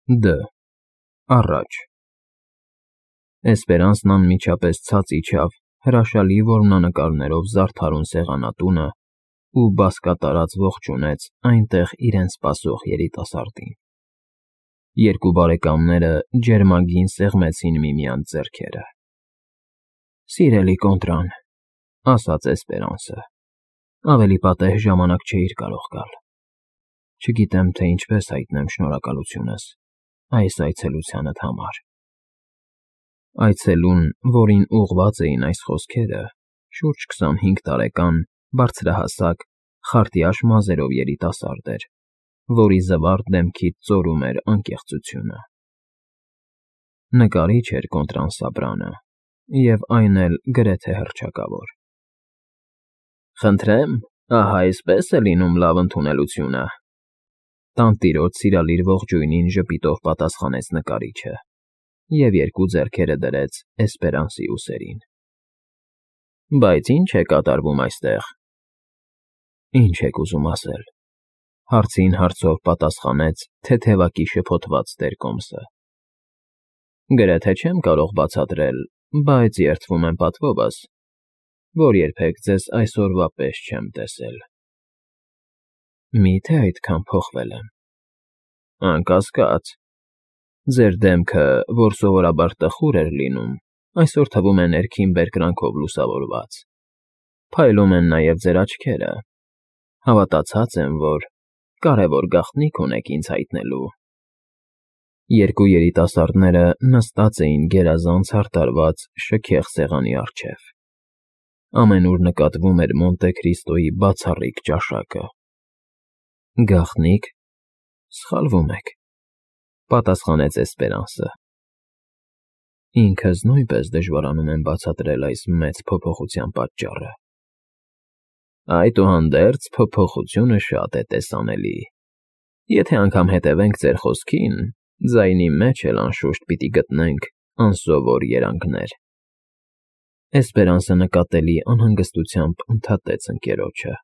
Դ. Առաջ Էսպերանսն անմիջապես ցած իջավ հրաշալի որմնանկարներով զարդարուն սեղանատունը ու բազկատարած ողջունեց այնտեղ իրեն սպասող երիտասարդին։ Երկու բարեկամները ջերմագին սեղմեցին միմյանց ձեռքերը։ «Սիրելի Կոնտրան,֊ ասաց Էսպերանսը,֊ ավելի պատեհ ժամանակ չէիր կարող գալ։ Չգիտեմ, թե ինչպես հայտնեմ շնորհակալությունս այս այցելությանդ համար»։ Այցելուն, որին ուղղված էին այս խոսքերը, շուրջ 25 տարեկան, բարձրահասակ, խարտյաշ մազերով երիտասարդ էր, որի զվարթ դեմքից ծորում էր անկեղծությունը։ Նկարիչ էր Կոնտրան Սաբրանը, և այն էլ գրեթե հռչակավոր։ «Խնդրեմ, ահա այսպես է լինում լավ ընդունելությունը,֊ տանտիրոջ սիրալիր ողջույնին ժպիտով պատասխանեց նկարիչը և երկու ձեռքերը դրեց Էսպերանսի ուսերին։ Բայց ի՞նչ է կատարվում այստեղ»։ «Ինչ եք ուզում ասել,֊ հարցին հարցով պատասխանեց թեթևակի շփոթված տերկոմսը։ Գրեթե չեմ կարող բացատրել, բայց երդվում եմ պատվովս, որ երբեք ձեզ այսօրվա պես չեմ տեսել»։ Մի՞թե այդքան փոխվել եմ։ Անկասկած, ձեր դեմքը, որ սովորաբար տխուր էր լինում, այսօր թվում է ներքին բերկրանքով լուսավորված։ Փայլում են նաև ձեր աչքերը։ Հավատացած եմ, որ կարևոր գաղտնիք ունեք ինձ հայտնելու։ Երկու երիտասարդները նստած էին գերազանց հարդարված շքեղ սեղանի առջև։ Ամենուր նկատվում էր Մոնտե Քրիստոյի բացառիկ ճաշակը։ Գաղտնի՞կ, սխալվում եք,֊ պատասխանեց Էսպերանսը։ Ինքս նույնպես դժվարանում եմ բացատրել այս մեծ փոփոխության պատճառը։ Այդուհանդերձ փոփոխությունը շատ է տեսանելի։ Եթե անգամ հետևենք ձեր խոսքին, ձայնի մեջ էլ անշուշտ պիտի գտնենք անսովոր երանգներ։ Էսպերանսը նկատելի անհանգստությամբ ընդհատեց ընկերոջը։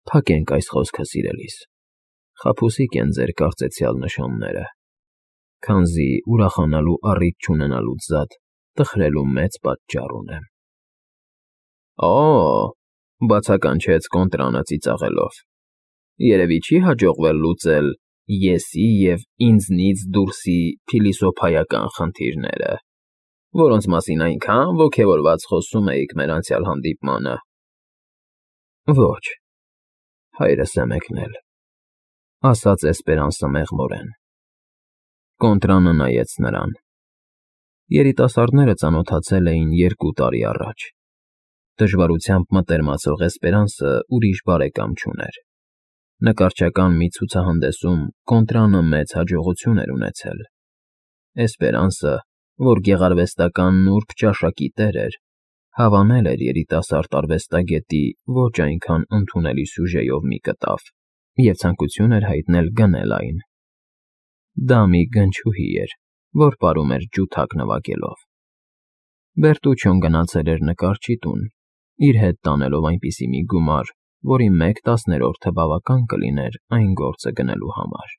Փակենք այս խոսքը, սիրելիս, խաբուսիկ են ձեր կարծեցյալ նշանները, քանզի ուրախանալու առիթ չունենալուց զատ տխրելու մեծ պատճառ ունեմ։ Օ՜, բացականչեց Կոնտրանը ծիծաղելով, երևի չի հաջողվել լուծել եսի և ինձնից դուրսի փիլիսոփայական խնդիրները, որոնց մասին այնքան ոգևորված խոսում էիք մեր անցյալ հանդիպմանը։ Ոչ, հայրս է մեկնել,֊ ասաց Էսպերանսը մեղմորեն։ Կոնտրանը նայեց նրան։ Երիտասարդները ծանոթացել էին 2 տարի առաջ։ Դժվարությամբ մտերմացող Էսպերանսը ուրիշ բարեկամ չուներ։ Նկարչական մի ցուցահանդեսում Կոնտրանը մեծ հաջողություն էր ունեցել։ Էսպերանսը, որ գեղարվեստական նուրբ ճաշակի տեր էր, հավանել էր երիտասարդ արվեստագետի ոչ այնքան ընդունելի սյուժեով մի կտավ և ցանկություն էր հայտնել գնել այն։ Դա մի գնչուհի էր, որ պարում էր ջութակ նվագելով։ Բերտուչոն գնացել էր նկարչի տուն, իր հետ տանելով այնպիսի մի գումար, որի 1/10 բավական կլիներ այն գործը գնելու համար։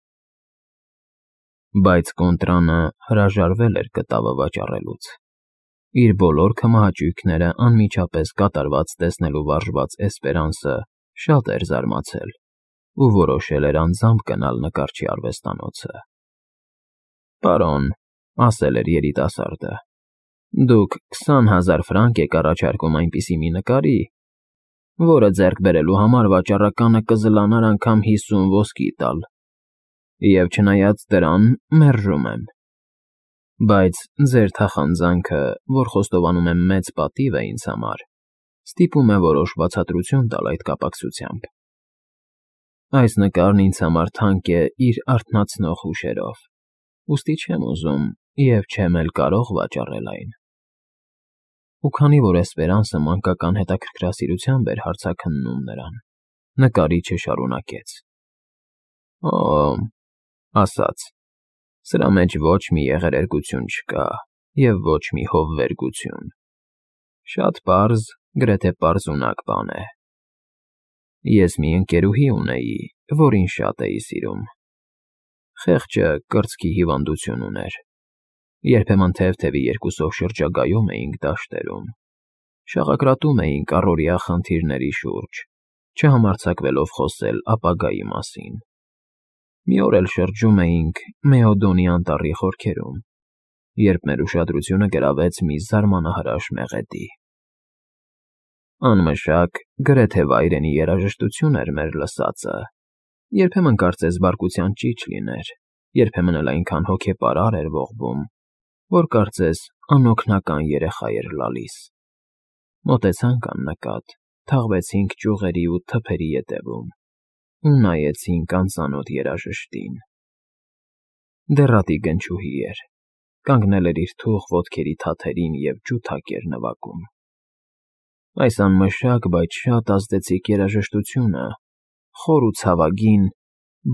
Բայց Կոնտրանը հրաժարվել էր կտավը վաճառելուց։ Իր բոլոր քմահաճույքները անմիջապես կատարված տեսնելու վարժված Էսպերանսը շատ էր զարմացել ու որոշել էր անձամբ գնալ նկարչի արվեստանոցը։ Պարոն,֊ ասել էր երիտասարդը,֊ դուք 20,000 ֆրանկ եք առաջարկում այնպիսի մի նկարի, որը ձեռք բերելու համար վաճառականը կզլանար անգամ 50 ոսկի տալ, և չնայած դրան մերժում եմ։ Բայց ձեր թախանձանքը, որ խոստովանում եմ մեծ պատիվ է ինձ համար, ստիպում է որոշ բացատրություն տալ այդ կապակցությամբ։ Այս նկարն ինձ համար թանկ է իր արթնացնող հուշերով, ուստի չեմ ուզում և չեմ էլ կարող վաճառել այն։ Ու քանի որ Էսպերանսը մանկական հետաքրքրասիրությամբ էր հարցաքննում նրան, նկարիչը շարունակեց. Օ՜, ասաց, սրա մեջ ոչ մի եղերերգություն չկա և ոչ մի հովվերգություն։ Շատ պարզ, գրեթե պարզունակ բան է։ Ես մի ընկերուհի ունեի, որին շատ էի սիրում։ Խեղճը կրծքի հիվանդություն ուներ։ Երբեմն թեև-թևի երկուսով շրջագայում էինք դաշտերում, շաղակրատում էինք առօրյա խնդիրների շուրջ, չհամարձակվելով խոսել ապագայի մասին։ Մի օր էլ շրջում էինք Մեոդոնի անտառի խորքերում, երբ մեր ուշադրությունը գրավեց մի զարմանահրաշ մեղեդի։ Անմշակ, գրեթե վայրենի երաժշտություն էր մեր լսածը, երբեմն կարծես բարկության ճիչ լիներ, երբեմն էլ այնքան հոգեպարար էր ողբում, որ կարծես անօգնական երեխա էր լալիս։ Մոտեցանք աննկատ, թաղվեցինք ճյուղերի ու թփերի ետևում ու նայեցինք անծանոթ երաժշտին։ Դեռատի գնչուհի էր, կանգնել էր իր թուխ ոտքերի թաթերին և ջութակ էր նվագում։ Այս անմշակ, բայց շատ ազդեցիկ երաժշտությունը խոր ու ցավագին,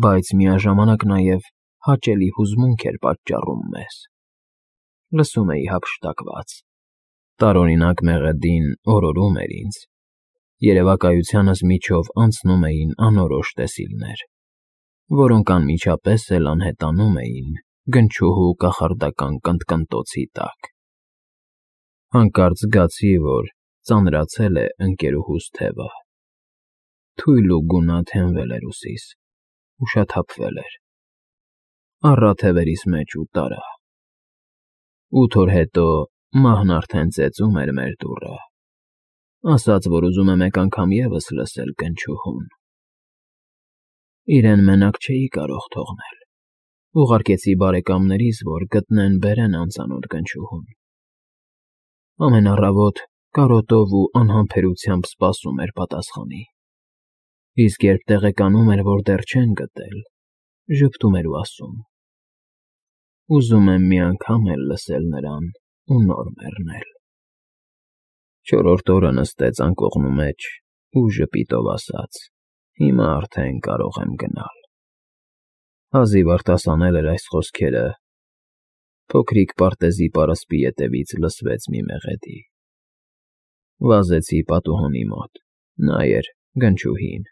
բայց միաժամանակ նաև հաճելի հուզմունք էր պատճառում մեզ։ Լսում էի հափշտակված։ Տարօրինակ մեղեդին օրորում էր ինձ։ Երևակայությանս միջով անցնում էին անորոշ տեսիլներ, որոնք անմիջապես էլ անհետանում էին գնչուհու կախարդական կնտկնտոցի տակ։ Հանկարծ զգացի, որ ծանրացել է ընկերուհուս թևը։ Թույլ ու գունատ հենվել էր ուսիս, ուշաթափվել էր, առա թևերիս մեջ ու տարա։ 8 օր հետո մահն արդեն ծեծում էր մեր դուռը, ասաց, որ ուզում է մեկ անգամ ևս լսել գնչուհուն։ Իրեն մենակ չէի կարող թողնել։ Ուղարկեցի բարեկամներիս, որ գտնեն֊բերեն անծանոթ գնչուհուն։ Ամեն առավոտ կարոտով ու անհամբերությամբ սպասում էր պատասխանի։ Իսկ երբ տեղեկանում էր, որ դեռ չեն գտել, ժպտում էր ու ասում. «Ուզում եմ մի անգամ էլ լսել նրան ու նոր մեռնել»։ 4-րդ օրը նստեց անկողնու մեջ ու ժպիտով ասաց. «Հիմա արդեն կարող եմ գնալ»։ Հազիվ արտասանել էր այս խոսքերը, փոքրիկ պարտեզի պարսպի ետևից լսվեց մի մեղեդի։ Վազեցի պատուհանի մոտ, նա էր գնչուհին։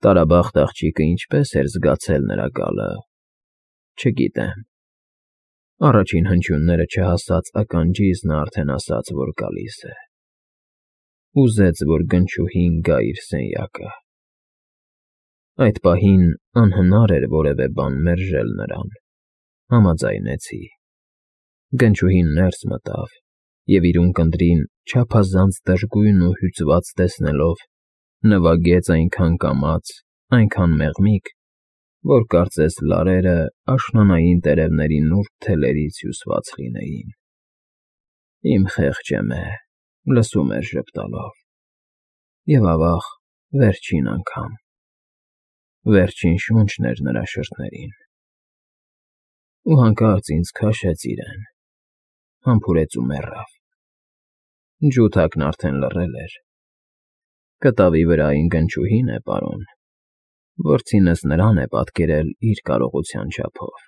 Տարաբախտ աղջիկը ինչպես էր զգացել նրա գալը, չգիտեմ։ Առաջին հնչյունները չհասած ականջիս նա արդեն ասաց, որ գալիս է։ Ուզեց, որ գնչուհին գա իր սենյակը։ Այդ պահին անհնար էր որևէ բան մերժել նրան։ Համաձայնեցի։ Գնչուհին ներս մտավ և իր ունկնդրին չափազանց դժգույն ու հյուծված տեսնելով նվագեց այնքան կամաց, այնքան մեղմիկ, որ կարծես լարերը աշնանային տերևների նուրբ թելերից հյուսված լինեին։ Իմ խեղճ Էմե լսում էր ժպտալով։ Եվ ավաղ, վերջին անգամ։ Վերջին շունչն էր նրա շրթներին։ Ու հանկարծ ինձ քաշեց իրեն, համբուրեց ու մեռավ։ Ջութակն արդեն լռել էր։ Կտավի վրային գնչուհին է, պարոն, որդինս նրան է պատկերել իր կարողության չափով։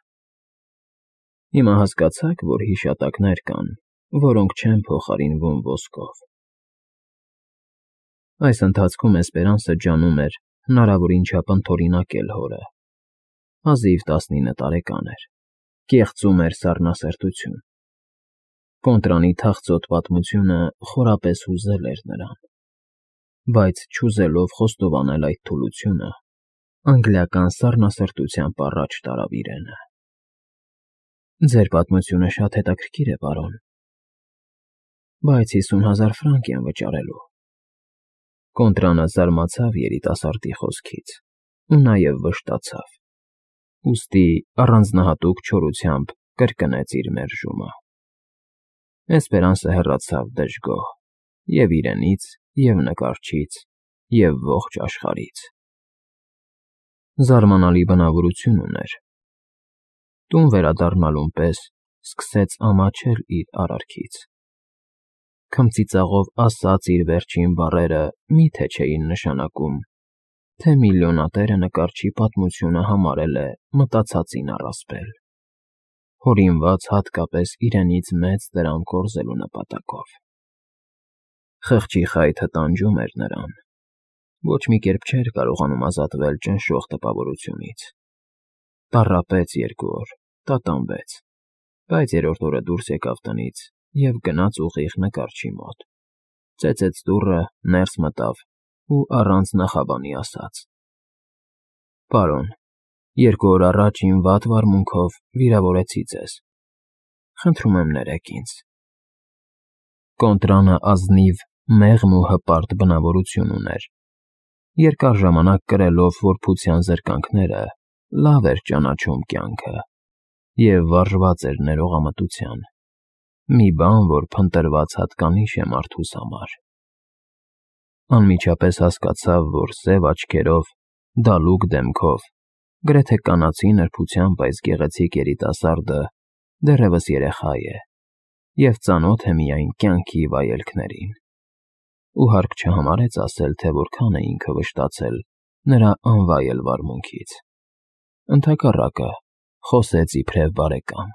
Հիմա հասկացա՞ք, որ հիշատակներ կան, որոնք չեն փոխարինվում ոսկով։ Այս ընթացքում Էսպերանսը ջանում էր հնարավորին չափ ընդօրինակել հորը։ Հազիվ 19 տարեկան էր, կեղծում էր սառնասրտություն։ Կոնտրանի թախծոտ պատմությունը խորապես հուզել էր նրան, բայց չուզելով խոստովանել այդ թուլությունը, անգլիական սառնասրտությամբ առաջ տարավ իրենը։ Ձեր պատմությունը շատ հետաքրքիր է, պարոն, բայց 50,000 ֆրանկ եմ վճարելու։ Կոնտրանը զարմացավ երիտասարդի խոսքից ու նաև վշտացավ, ուստի առանձնահատուկ չորությամբ կրկնեց իր մերժումը։ Էսպերանսը հեռացավ դժգոհ և իրենից, և նկարչից, և ողջ աշխարհից։ Զարմանալի բնավորություն ուներ։ Տուն վերադառնալուն պես սկսեց ամաչել իր արարքից։ Քմծիծաղով ասած իր վերջին բառերը մի՞թե չէին նշանակում, թե միլիոնատերը նկարչի պատմությունը համարել է մտածածին առասպել, հորինված հատկապես իրենից մեծ դրամ կորզելու նպատակով։ Խղճի խայթը տանջում էր նրան, ոչ մի կերպ չէր կարողանում ազատվել ճնշող տպավորությունից։ տառապեց 2 օր, տատանվեց, բայց 3-րդ օրը դուրս եկավ տնից և գնաց ուղիղ նկարչի մոտ, ծեծեց դուռը, ներս մտավ ու առանց նախաբանի ասաց. «Պարոն, 2 օր առաջ իմ վատ վարմունքով վիրավորեցի ձեզ, խնդրում եմ ներեք ինձ»։ Կոնտրանը ազնիվ, մեղմ ու հպարտ բնավորություն ուներ, երկար ժամանակ կրելով որբության զրկանքները, լավ էր ճանաչում կյանքը և վարժված էր ներողամտության, մի բան, որ փնտրված հատկանիշ է մարդուս համար։ Անմիջապես հասկացավ, որ սև աչքերով, դալուկ դեմքով, գրեթե կանացի նրբությամբ այս գեղեցիկ երիտասարդը դեռևս երեխա է և ծանոթ է միայն կյանքի վայելքներին, ու հարկ չհամարեց ասել, թե որքան է ինքը վշտացել նրա անվայել վարմունքից։ Ընդհակառակը, խոսեց իբրև բարեկամ,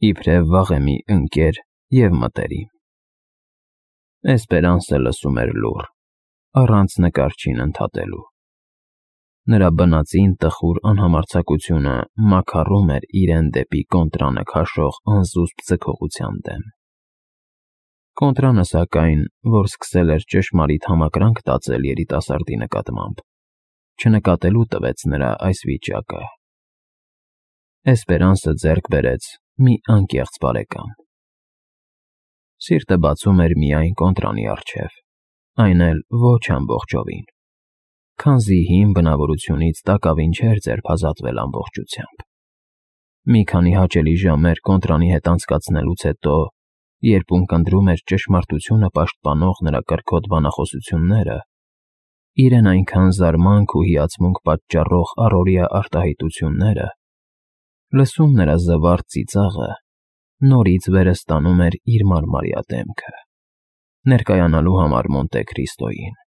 իբրև վաղեմի ընկեր և մտերիմ։ Էսպերանսը լսում էր լուռ, առանց նկարչին ընդհատելու։ Նրա բնածին տխուր անհամարձակությունը մաքառում էր իրեն դեպի կոնտրանը քաշող անզուսպ ձգողության դեմ։ Կոնտրանը, սակայն, որ սկսել էր ճշմարիտ համակրանք տածել երիտասարդի նկատմամբ, չնկատելու տվեց նրա այս վիճակը։ Էսպերանսը ձեռք բերեց մի անկեղծ բարեկամ։ Սիրտը բացում էր միայն կոնտրանի առջև, այն էլ ոչ ամբողջովին, քանզի հին բնավորությունից տակավին չէր ձերբազատվել ամբողջությամբ։ Մի քանի հաճելի ժամեր կոնտրանի հետ անցկացնելուց հետո, երբ ունկնդրում էր ճշմարտությունը պաշտպանող նրա կրքոտ բանախոսությունները, իրեն այնքան զարմանք ու հիացմունք պատճառող առօրյա արտահայտությունները, լսում նրա զվարթ ծիծաղը նորից վերստանում էր իր մարմարյա դեմքը, ներկայանալու համար Մոնտե Քրիստոյին։